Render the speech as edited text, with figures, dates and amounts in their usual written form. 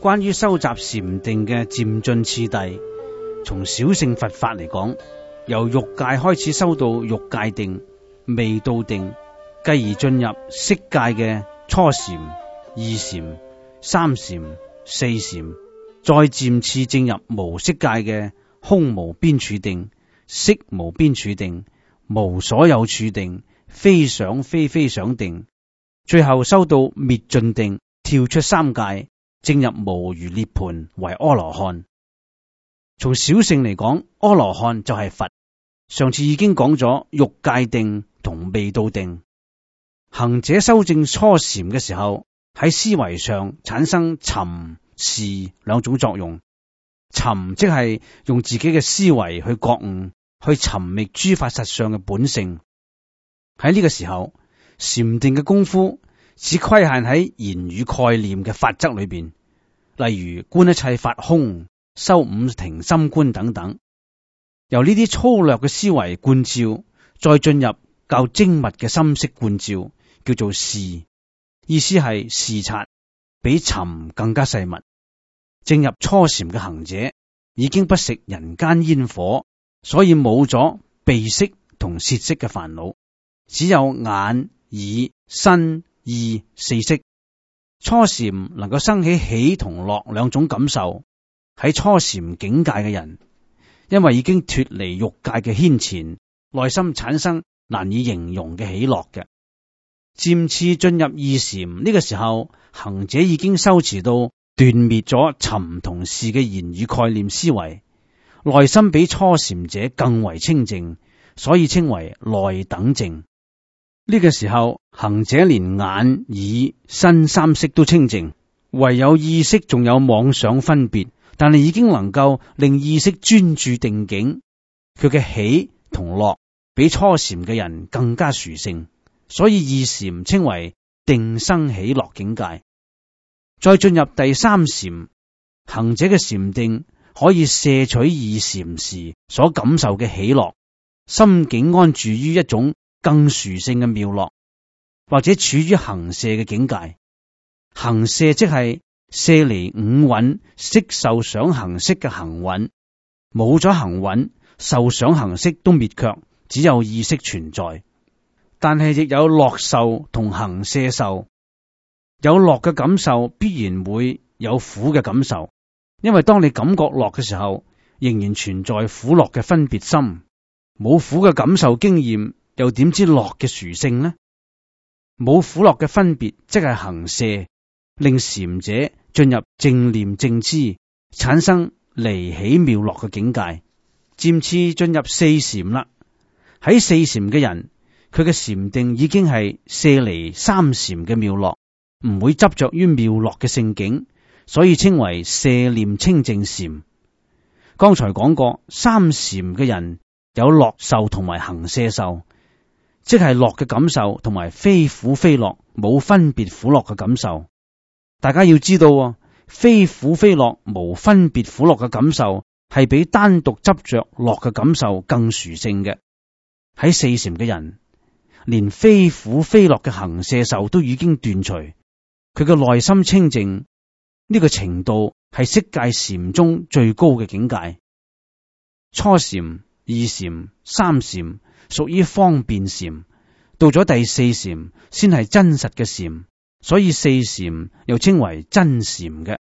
關於收集禪定嘅漸進次第，從小乘佛法嚟講，由欲界開始修到欲界定、未到定，繼而進入色界嘅初禪、二禪、三禪、四禪，再漸次進入無色界嘅空無邊處定、色無邊處定、無所有處定、非想非非想定，最後修到滅盡定，跳出三界，進入無餘涅槃為阿羅漢。從小乘嚟講，阿羅漢就係佛。上次已經講咗欲界定同未到定。行者修正初禪嘅時候，喺思維上產生尋視兩種作用。尋即係用自己嘅思維去覺悟，去尋覓諸法實相嘅本性。喺呢個時候，禪定嘅功夫只規限喺言語概念嘅法則裏邊，例如觀一切法空、修五停心觀等等。由呢啲粗略嘅思維觀照，再進入較精密嘅心識觀照，叫做視。意思係視察，比尋更加細密。進入初禪嘅行者已經不食人間煙火，所以冇咗鼻識同舌識嘅煩惱，只有眼、耳、身、意四識。初禪能夠生起喜同樂兩種感受。喺初禪境界嘅人，因為已經脫離欲界嘅牽纏，內心產生難以形容嘅喜樂嘅。漸次進入二禪，呢個時候，行者已經修持到斷滅咗尋同視嘅言語概念思維，內心比初禪者更為清淨，所以稱為內等淨。呢個時候，行者連眼、耳、身三識都清淨，唯有意識仲有妄想分別，但係已經能夠令意識專注定境。佢嘅喜同樂比初禪嘅人更加殊勝，所以二禪稱為定生喜樂境界。再進入第三禪，行者嘅禪定可以攝取二禪時所感受嘅喜樂，心境安住於一種更殊勝嘅妙樂，或者處於行攝嘅境界。行攝即係攝離五蘊色受想行識嘅行蘊，冇咗行蘊，受想行識都滅卻，只有意識存在。但係亦有樂受同行攝受，有樂嘅感受必然會有苦嘅感受，因為當你感覺樂嘅時候，仍然存在苦樂嘅分別心，冇苦嘅感受經驗，又點知樂嘅殊勝呢？冇苦樂嘅分別，即係行攝，令禪者進入正念正知，產生離喜妙樂嘅境界。漸次進入四禪啦。喺四禪嘅人，佢嘅禪定已經係攝離三禪嘅妙樂，唔會執着於妙樂嘅聖境，所以稱為攝念清淨禪。剛才講過，三禪嘅人有樂受同埋行攝受，即係樂嘅感受同埋非苦非樂冇分別苦樂嘅感受。大家要知道，非苦非樂無分別苦樂嘅感受係比單獨執着樂嘅感受更殊勝嘅。喺四禪嘅人，連非苦非樂嘅行攝受都已經斷除，佢嘅內心清淨，呢個程度係色界禪中最高嘅境界。初禪、二禪、三禪屬於方便禪，到咗第四禪先係真實嘅禪，所以四禪又稱為真禪嘅。